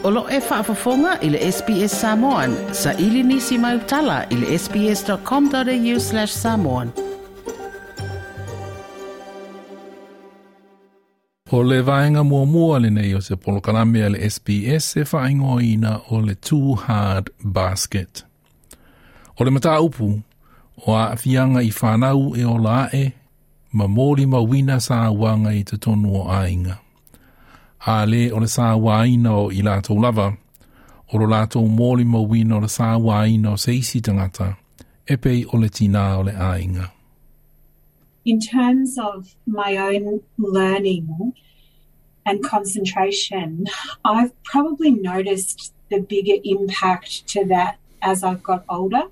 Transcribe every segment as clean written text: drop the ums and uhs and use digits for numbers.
O lo o e faafofoga i le SBS Samoan, saili nisi mau tala i le sbs.com.au/samoan. O le vaega muamua lenei o se polokalame a le SBS e faaigoaina o le Too Hard Basket. O le mataupu, o aafiaga i fanau e ola ae ma molimauina sauaga i totonu o aiga. A le o le sauaina o i latou lava, o lo latou molimauina o le sauaina o se isi tagata, e pei o le tinā o le aiga. In terms of my own learning and concentration, I've probably noticed the bigger impact to that as I've got older.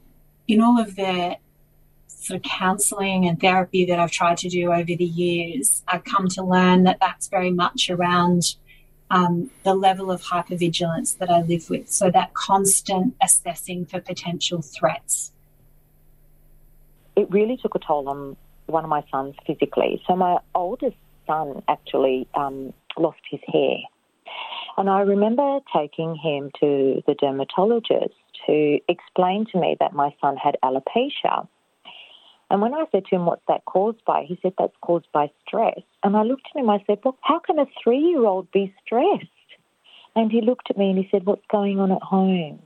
In all of the sort of counselling and therapy that I've tried to do over the years, I've come to learn that that's very much around the level of hypervigilance that I live with. So that constant assessing for potential threats. It really took a toll on one of my sons physically. So my oldest son actually lost his hair. And I remember taking him to the dermatologist who explained to me that my son had alopecia. And when I said to him, what's that caused by? He said, that's caused by stress. And I looked at him, I said, well, how can a 3-year-old be stressed? And he looked at me and he said, what's going on at home?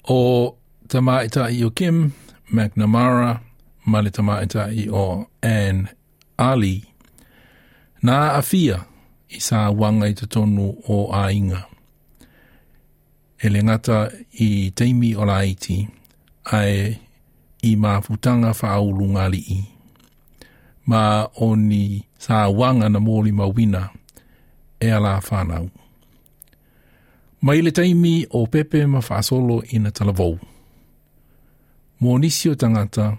O tamaitai o Kim McNamara ma le tamaitai o Anne Ali. Na aafia i sauaga i totonu o aiga. E le gata i taimi o laiti, ae i mafutaga faaulugalii. Ma o ni sauaga na molimauina e a la fanau. Mai le taimi o pepe ma faasolo ina talavou. Mo nisi o tagata,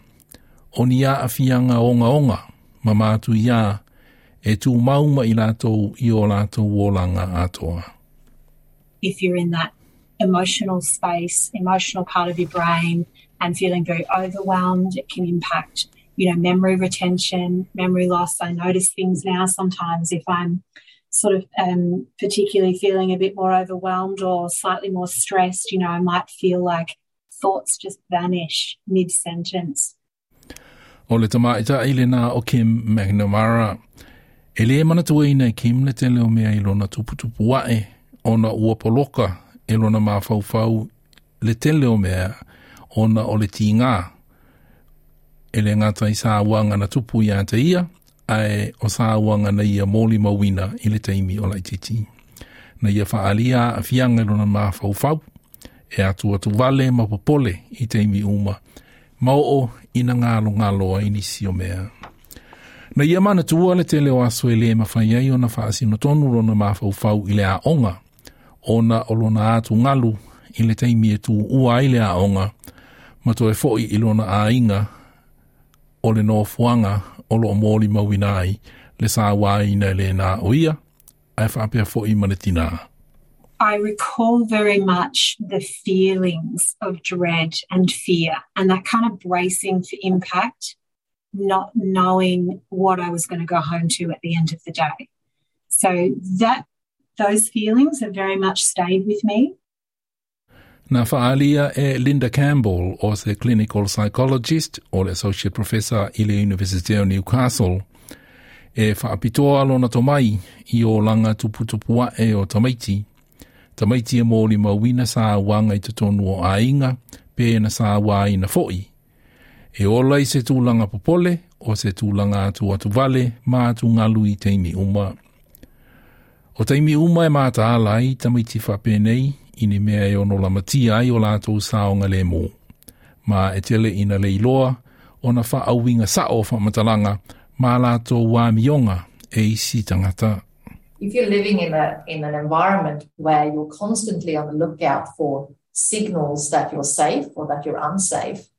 o ni aafiaga ogaoga ma matuia e tumau ma i latou i o latou olaga atoa. If you're in that emotional space, emotional part of your brain, and feeling very overwhelmed, it can impact, memory retention, memory loss. I notice things now sometimes if I'm sort of particularly feeling a bit more overwhelmed or slightly more stressed, I might feel like thoughts just vanish mid-sentence. O le tamaitai lena o Kim McNamara. E le manatuaina e Kim le tele o mea i lona tuputupu ae ona ua poloka e lona mafaufau le tele o mea ona o le tigā. E le gata i sauaga na tupu ia te ia, ae o sauaga na ia molimauina i le taimi o laitiiti. Na ia faaalia aafiaga i lona mafaufau, e atuatuvale ma popole i taimi uma, ma oo ina galogalo ai nisi o mea. Na ia manatua le tele o aso e le mafai ai ona faasinotonu lona mafaufau i le aoga, ona o lona atugalu i le taimi e tuua ai le aoga, ma toe foi i lona aiga o le nofoaga o loo molimauina ai le sauaina e lena o ia, ae faapea foi ma le tinā. I recall very much the feelings of dread and fear and that kind of bracing for impact, not knowing what I was going to go home to at the end of the day. So those feelings have very much stayed with me. Na faaalia e Linda Campbell o se clinical psychologist o le associate professor i le University o Newcastle e faapitoa lona tomai i olaga tuputupu ae o tamaiti. Tamaiti e molimauina sauaga i totonu o aiga pe na sauaina foi. E ola i se tulaga popole o se tulaga atuatuvale ma atugalu i taimi uma. O taimi uma e mataala ai tamaiti faapenei i ni mea e ono lamatia ai o latou saogalemu. Ma e tele ina le iloa ona faauiga sao o faamatalaga ma latou amioga e isi tagata. If you're living in an environment where you're constantly on the lookout for signals that you're safe or that you're unsafe,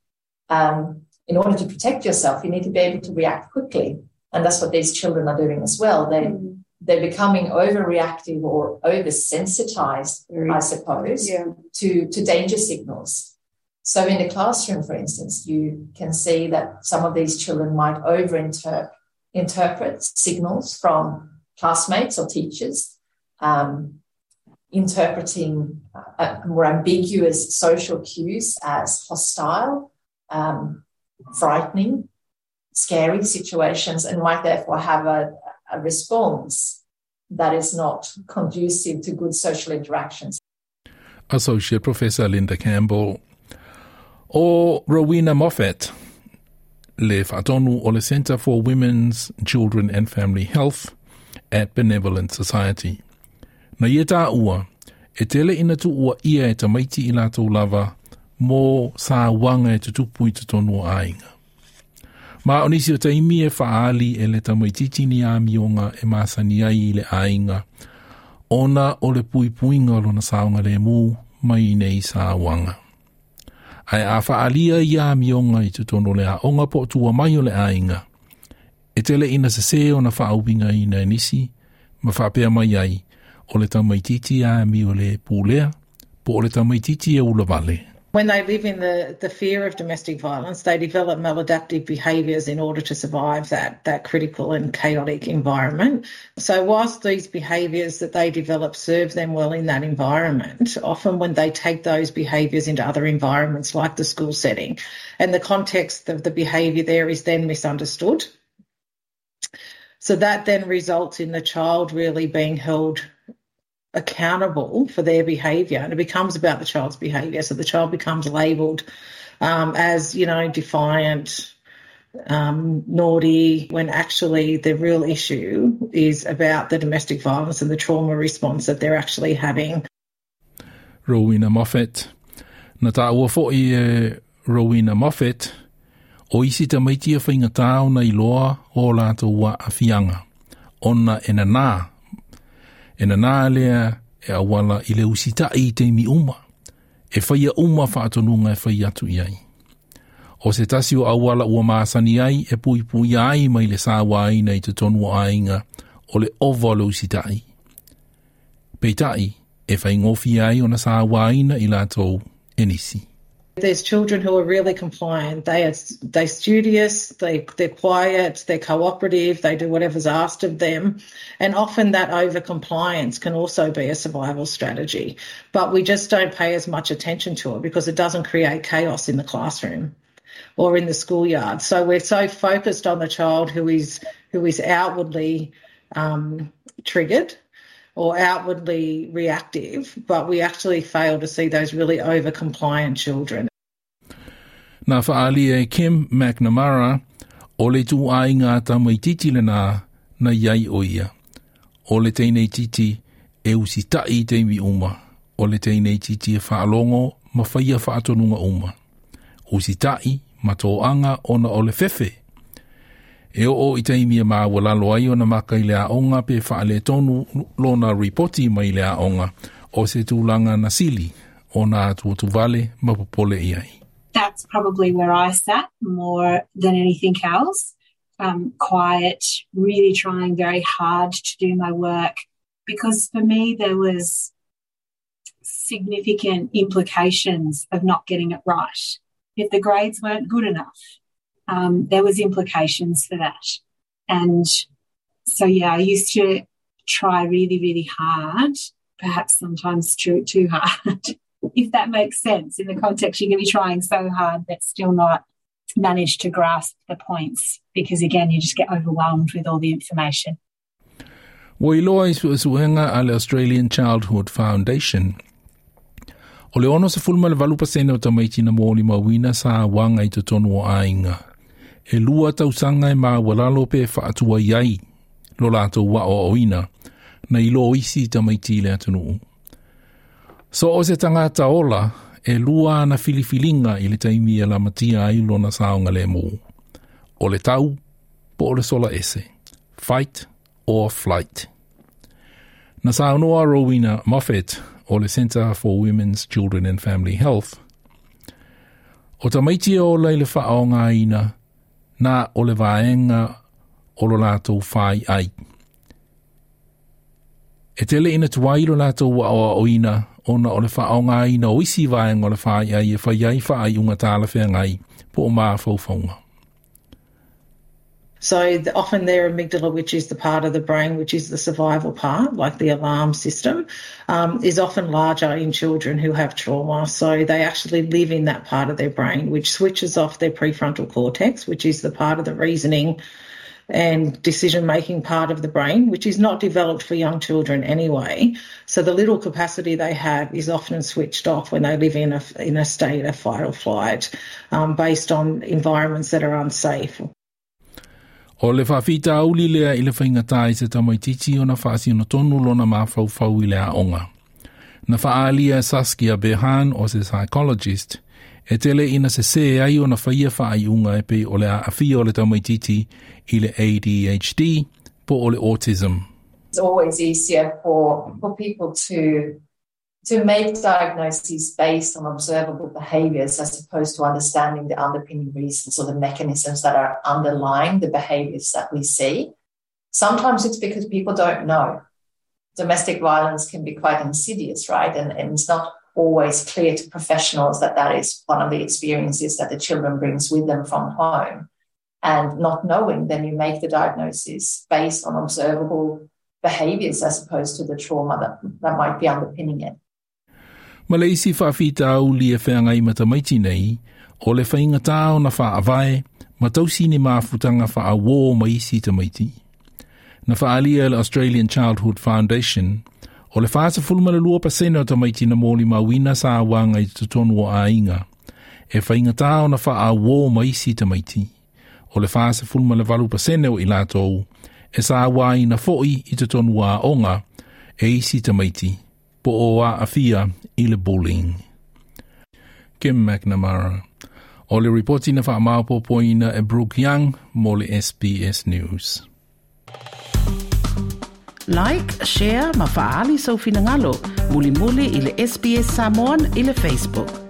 in order to protect yourself, you need to be able to react quickly. And that's what these children are doing as well. They're becoming overreactive or oversensitized, I suppose, to danger signals. So in the classroom, for instance, you can see that some of these children might over-interpret signals from classmates or teachers. interpreting more ambiguous social cues as hostile, frightening, scary situations, and might therefore have a response that is not conducive to good social interactions. Associate Professor Linda Campbell. O Rowena Moffat, le faatonu o le Centre for Women's, Children and Family Health at Benevolent Society. Na ia tāua, e tele ina tuua ia e tamaiti i lātou lava mō sāuaga e tutupu i totonu o aiga. Ma o nisi o taimi e faaali e le tamaitiiti ni amioga e masani ai i le aiga, ona o le puipuiga o lona saogalēmū mai nei sauaga. Ae a faaalia ia amioga i totonu o le aoga po o tua mai o le aiga, e tele ina sesē ona faauigaina e nisi, ma faapea mai ai, o le tamaitiiti amio lē pulea, po o le tamaitiiti e ulavale. When they live in the fear of domestic violence, they develop maladaptive behaviours in order to survive that critical and chaotic environment. So whilst these behaviours that they develop serve them well in that environment, often when they take those behaviours into other environments like the school setting, and the context of the behaviour there is then misunderstood. So that then results in the child really being held accountable for their behaviour, and it becomes about the child's behaviour. So the child becomes labelled as, defiant, naughty, when actually the real issue is about the domestic violence and the trauma response that they're actually having. Rowena Moffat. Na tāua fo'i e Rowena Moffat, o isi tamaiti e faigata ona iloa o lātou aafiaga, ona e nanā. E nanā lea e auala i le usita'i i taimi uma, e faia uma faatonuga e fai atu i ai. O se tasi o auala ua masani ai e puipuia ai mai le sauaina i totonu o aiga o le ova o le usita'i. Peitai, e faigofie ai ona sauaina i latou e nisi. There's children who are really compliant. They're studious, they're quiet, they're cooperative, they do whatever's asked of them. And often that over-compliance can also be a survival strategy. But we just don't pay as much attention to it because it doesn't create chaos in the classroom or in the schoolyard. So we're so focused on the child who is outwardly triggered or outwardly reactive, but we actually fail to see those really over-compliant children. Na faaali e Kim McNamara, o le ituaiga tamaitiiti lenā na iai o ia. O le teineitiiti e usita'i i taimi uma. O le teineitiiti e faalogo ma faia faatonuga uma. Usita'i ma toaga ona o le fefe. E oo i taimi e maualalo ai ona maka i le aoga pe faaletonu lona ripoti mai le aoga o se tulaga na sili ona atuatuvale ma popole i ai. That's probably where I sat more than anything else. Quiet, really trying very hard to do my work, because for me there was significant implications of not getting it right. If the grades weren't good enough, there was implications for that. And so, yeah, I used to try really, really hard, perhaps sometimes too hard, if that makes sense. In the context, you can be trying so hard but still not manage to grasp the points because, again, you just get overwhelmed with all the information. Ua iloa i suesuega a le Australian Childhood Foundation. O le 68% o tamaiti na molimauina sauaga i totonu o aiga. E 2 tausaga e maualalo pe faatuai ai lo latou aoaoina na ilo isi tamaiti i le atunuu. So o se tagata ola e 2 ana filifiliga i le taimi e lamatia ai lona saogalēmū. O le tau po o le sola ese. Fight or flight. Na saunoa Rowena Moffat o le Centre for Women's, Children and Family Health. O tamaiti e ola i le faaogaina na o le vaega o lo latou fai ai. E tele ina tuai lo latou aoaoina ona o le faaogaina o isi vaega o le fai ai e fai ai faaiuga talafeagai po o mafaufauga. So the, often their amygdala, which is the part of the brain, which is the survival part, like the alarm system, is often larger in children who have trauma. So they actually live in that part of their brain, which switches off their prefrontal cortex, which is the part of the reasoning and decision making part of the brain, which is not developed for young children anyway. So the little capacity they have is often switched off when they live in a, in a state of fight or flight based on environments that are unsafe. O le faafitauli lea i le faigata i se tamaitiiti ona faasino tonu lona mafaufau i le aoga. Na faaalia e Saskia Behan o se psychologist, e tele ina sesē ai ona faia faaiuga e pei o le aafia o le tamaitiiti i le ADHD po o le autism. It's always easier for people to make diagnoses based on observable behaviors as opposed to understanding the underpinning reasons or the mechanisms that are underlying the behaviors that we see. Sometimes it's because people don't know. Domestic violence can be quite insidious, right? And it's not always clear to professionals that that is one of the experiences that the children brings with them from home. And not knowing, then you make the diagnosis based on observable behaviors as opposed to the trauma that might be underpinning it. Ma le isi faafitauli e feagai ma tamaiti nei, o le faigata ona faavae, ma tausi ni mafutaga faauō ma isi tamaiti. Na faaalia e le Australian Childhood Foundation, o le 42% o tamaiti na molimauina sauaga i totonu o aiga, e faigata ona faauō ma isi tamaiti. O le 48% o i latou, e sauaina foi i totonu o aoga e isi tamaiti, po o aafia i le bullying. Kim McNamara. O le ripoti na faamaopoopoina e Brooke Young mo le SBS News. Like, share ma faaali sou finagalo. Mulimuli i le SBS Samoan i le Facebook.